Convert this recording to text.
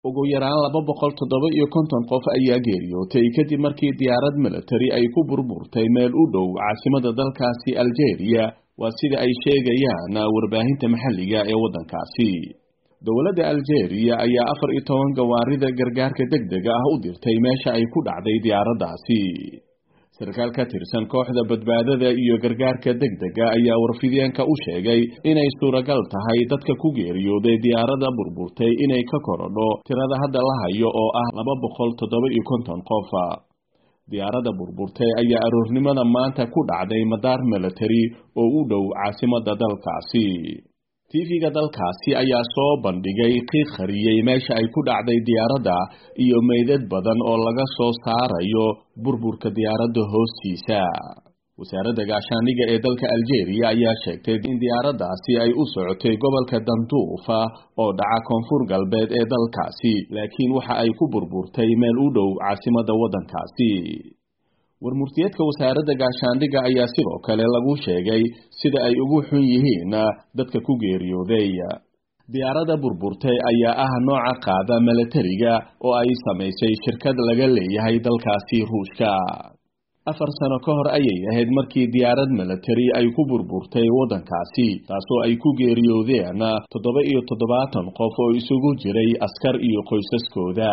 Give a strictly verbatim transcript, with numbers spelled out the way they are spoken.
Ugu yaraan laba boqol toddoba iyo konton qof ayaa geeriyootay kadib markii diyaarad militari ay ku burburtay meel u dhow caasimada dalkaasi Algeria, waa sida ay sheegayaan warbaahinta maxalliga ee waddankaasi. Dowladda Algeria ayaa afar iyo toban gawaarida gargaarka degdega ah u dirtay meesha ay ku dhacday diyaaraddaasi. Sarkaal ka tirsan kooxda badbaadada iyo gargaarka degdega ayaa warfideenka u sheegay inay suuragal tahay dadka ku geeriyooday diyaaradda burburtay inay ka korodho tirada hadda la hayo oo ah laba boqol toddoba iyo konton qof. Diyaaradda burburtay ayaa aroornimada maanta ku dhacday madaar militari oo u dhow caasimadda dalkaasi. T V-ga dalkaasi ayaa soo bandhigay qiiq qariyey meesha ay ku dhacday diyaaradda iyo meydad badan oo laga soo saarayo burburka diyaaradda hoostiisa. Wasaaradda gaashaandhigga ee dalka Algeria ayaa sheegtay in diyaaraddaasi ay u socotay gobolka Danduufa oo dhaca koonfur galbeed ee dalkaasi, laakiin waxa ay ku burburtay meel u dhow caasimadda waddankaasi. Warmurtiyeedka wasaaradda gaashaandhigga ayaa sidoo kale lagu sheegay sida ay ugu xun yihiin dadka ku geeriyooday. Diyaaradda burburtay ayaa ah nooca qaada milatariga oo ay samaysay shirkad laga leeyahay dalkaasi Ruushka. Afar sano ka hor ayay ahayd markii diyaarad militari ay ku burburtay waddankaasi, taasoo ay ku geeriyoodeen toddoba iyo toddobaatan qof oo isugu jiray askar iyo qoysaskooda.